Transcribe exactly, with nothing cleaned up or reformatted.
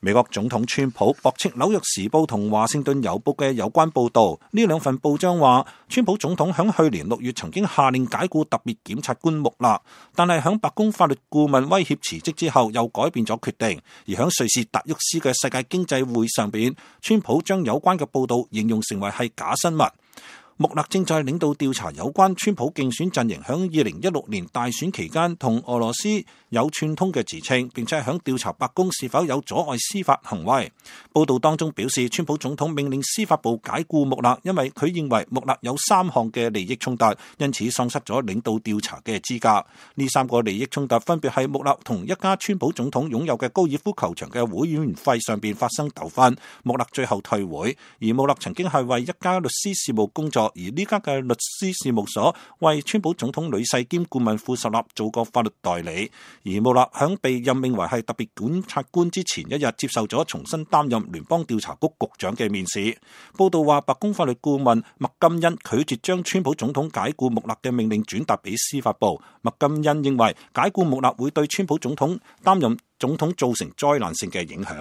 美國總統川普駁斥紐約時報同華盛頓郵報嘅有關報導。呢兩份報章話，川普總統響去年六月曾經下令解僱特別檢察官穆勒，但係響白宮法律顧問威脅辭職之後，又改變咗決定。而響瑞士達沃斯嘅世界經濟會上邊，川普將有關嘅報導形容成為係假新聞。穆勒正在領導調查有關川普競選陣營響二零一六年大選期間同俄羅斯有串通嘅自稱，並且響調查白宮是否有阻礙司法行為。報道當中表示，川普總統命令司法部解僱穆勒，因為佢認為穆勒有三項嘅利益衝突，因此喪失咗領導調查嘅資格。呢三個利益衝突分別係穆勒同一家川普總統擁有嘅高爾夫球場嘅會員費上邊發生糾紛，穆勒最後退會。而穆勒曾經係為一家律師事務工作。而呢家嘅律師事務所為川普總統女婿兼顧問庫什納做過法律代理。而穆勒響被任命為係特別檢察官之前一日，接受咗重新擔任聯邦調查局局長嘅面試。報道話，白宮法律顧問麥金恩拒絕將川普總統解僱穆勒嘅命令轉達俾司法部。麥金恩認為解僱穆勒會對川普總統擔任總統造成災難性嘅影響。